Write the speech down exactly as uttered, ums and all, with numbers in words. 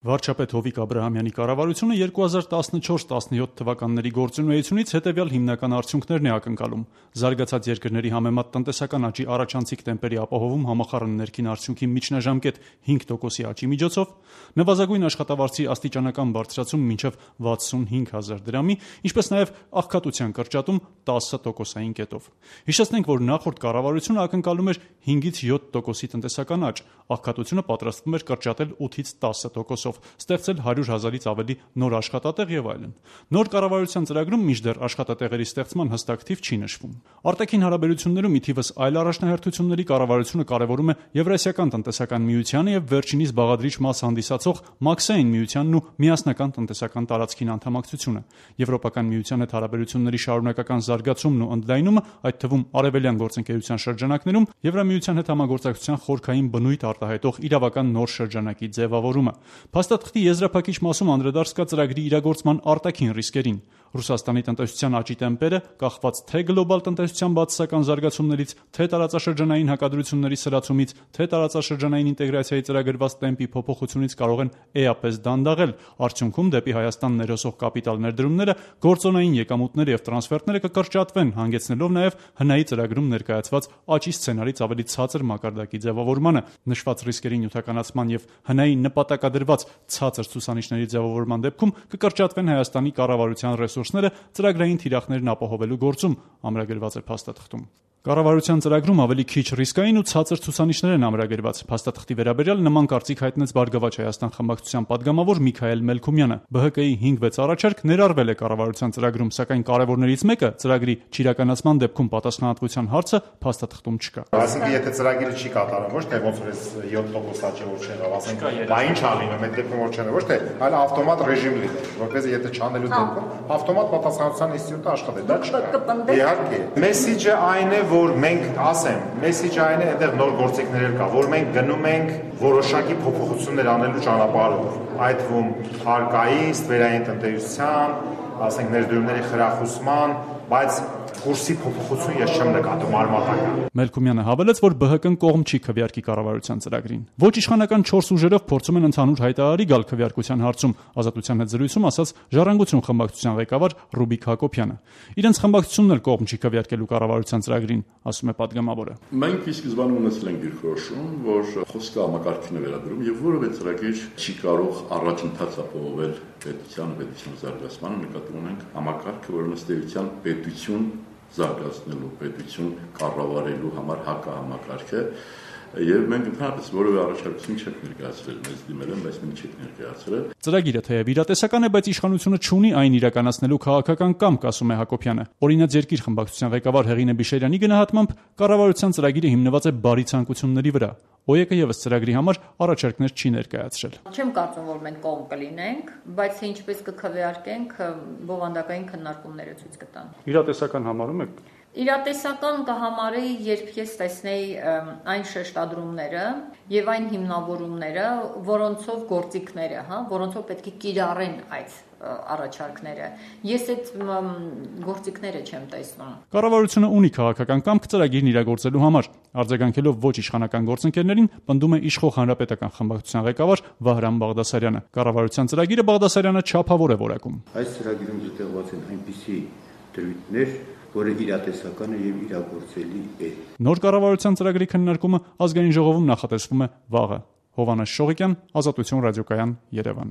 Վարչապետ Հովիկ Աբրահամյանի կառավարությունը երկու հազար տասնչորս տասնյոթ թվականների գործունեությունից հետևյալ հիմնական արդյունքներն է ակնկալում. զարգացած երկրների համեմատ տնտեսական աճի առաջանցիկ տեմպերի ապահովում համախառն ներքին արդյունքի միջնաժամկետ հինգ տոկոսի աճի միջոցով, նվազագույն աշխատավարձի աստիճանական բարձրացում մինչև վաթսունհինգ հազար դրամի, ինչպես նաև աղքատության կրճատում տասը տոկոսային կետով։ Հիշեցնենք, որ նախորդ կառավարությունը ակնկալում էր հինգից յոթ տոկոսի տնտեսական աճ, աղքատությունը պատրաստվում էր կրճատել ութից տասը տոկոսով, ստեղծել հարյուր հազարից ավելի նոր աշխատատեղ եւ այլն։ Նոր կառավարության ծրագրում մինչդեռ աշխատատեղերի ստեղծման հստակ թիվ չի նշվում։ Արտաքին հարաբերություններում ի թիվս այլ առաջնահերթությունների կառավարությունը կարևորում է Եվրասիական տնտեսական միությանը եւ վերջինիս բաղադրիչ մաս հանդիսացող Մաքսային միությանն ու միասնական տնտեսական տարածքին անդամակցությունը։ Եվրոպական միության հետ հարաբերությունների շարունակական զարգացումն ու ընդլայնումը, այդ թվում արևելյան գործընկերության շրջանակներում Եվրամիության հետ համագործակցության խորքային բնույթ արտահայտող իրավական նոր շրջանակի ձևավորումը։ Փաստաթղթի եզրափակիչ մասում անդրադարձ կա ծրագրի իրագործման արտաքին ռիսկերին։ Ռուսաստանի տնտեսության աճի տեմպերը, կախված թե գլոբալ տնտեսության բացասական զարգացումներից, թե տարածաշրջանային հակադրությունների սրացումից, թե տարածաշրջանային ինտեգրացիայի ծրագրված տեմպի փոփոխությունից կարող են էապես դանդաղել։ Արդյունքում դեպի Հայաստան ներհոսող կապիտալ ներդրումները, գործոնային եկամուտները եւ տրանսֆերտները կկրճատվեն, հանգեցնելով նաեւ հնայի ծրագրում ներկայացված աճի սցենարից ավելի ցածր մակարդակի ձևավորմանը։ Նշված ռիսկերի նյութականացման եւ հնայի նպատակադրված ցածր ցուցանիշների ձևավորման դեպքում կկրճատվեն Հայաստանի կառավարության ռեսուրսները ծրագրային թիրախներն ապահովելու գործում, ամրագրված է փաստաթղթում։ Կառավարության ծրագրում ավելի քիչ ռիսկային ու ցածր ցուցանիշներ են ամրագրված։ Փաստաթղթի վերաբերյալ նման կարծիք հայտնեց Բարգավաճ Հայաստան խմբակցության падգամավոր Միքայել Մելքումյանը։ ԲՀԿ-ի հինգ վեց առաջարկ ներառվել է կառավարության ծրագրում, սակայն կարևորներից մեկը ծրագրի չիրականացման դեպքում պատասխանատվության հարցը փաստաթղթում չկա։ Այսինքն եթե ծրագիրը չի կատարվում, ոչ թե ոնց որ էս յոթ տոկոս աճը որ չեղավ, ասենք, բա ինչ ա լինում, այդ դեպքում որ չեղավ, ոչ թե այլ ավտոմատ ռեժիմ լինի, որպեսզի եթե չանելու դեպքում ավտոմատ պատասխանատվության ինստիտուտը աշխատի, դա չկա։ Իհարկե, մեսիջը այն է, որ մենք ասեմ, մեսիջը այն է, այնտեղ նոր գործիքներ կա, որ մենք գնում ենք որոշակի փոփոխություններ անելու ճանապարհով, այդ թվում հարկային, ստվերային տնտեսության, ասենք ներդրումների խրախուսման, բայց կուրսի փոփոխություն ես չեմ նկատում արմատական։ Մելքումյանը հավելեց, որ ԲՀԿ-ն կողմ չի քվեարկի կառավարության ծրագրին։ Ոչ իշխանական չորս ուժերով փորձում են ընդհանուր հայտարարի գալ քվեարկության հարցում, Ազատության հետ զրույցում ասաց Ժառանգություն խմբակցության ղեկավար Ռուբիկ Հակոբյանը։ Իրենց խմբակցությունն էլ կողմ չի քվեարկելու կառավարության ծրագրին, ասում է падգամավորը։ Մենք ի սկզբանե ունեցել ենք դիրքորոշում, որ խոսքը համակարգին է վերաբերում եւ որևէ ծրագիր չի կարող առաջընթաց ապահովել պետության պետության զարգացման, նկատի ունենք համակարգը, որն ըստ էության պետություն զարգացնելու, պետություն կառավարելու համար հակահամակարգ է, եւ մենք ընդհանրապես որևէ առաջարկություն չենք ներկայացրել, մեզ դիմել են, բայց մենք չենք ներկայացրել։ Ծրագիրը թեև իրատեսական է, բայց իշխանությունը չունի այն իրականացնելու քաղաքական կամք, ասում է Հակոբյանը։ Օրինաց երկիր խմբակցության ղեկավար Հեղինե Բիշերյանի գնահատմամբ կառավարության ծրագիրը հիմնված է բարի ցանկությունների վրա։ ՕԵԿ-ը եւս ծրագրի համար առաջարկներ չի ներկայացրել։ Չեմ կարծում, որ մենք կողմ կլինենք, բայց ինչպես կքվեարկենք, բովանդակային քննարկումները ցույց կտան։ Իրատեսական համարում եք։ Իրատեսական կհամարի, երբ ես տեսնեի այն շեշտադրումները եւ այն հիմնավորումները, որոնցով գործիքները, հա, որոնցով պետք է կիրառեն այդ առաջարկները։ Ես այդ գործիքները չեմ տեսնում։ Կառավարությունը ունի քաղաքական կամք ծրագիրն իրագործելու համար։ Արձագանքելով ոչ իշխանական գործընկերներին, պնդում է իշխող հանրապետական խմբակցության ղեկավար Վահրամ Բաղդասարյանը։ Կառավարության ծրագիրը Բաղդասարյանը չափավոր է որակում։ Այս ծրագիրում զտեղված են այնպիսի դրույթներ, որը իրատեսական է եւ իրագործելի է։ Նոր կառավարության ծրագրի քննարկումը ազգային ժողովում նախատեսվում է վաղը։ Հովհաննես Շողիկյան, Ազատություն ռադիոկայան, Երևան։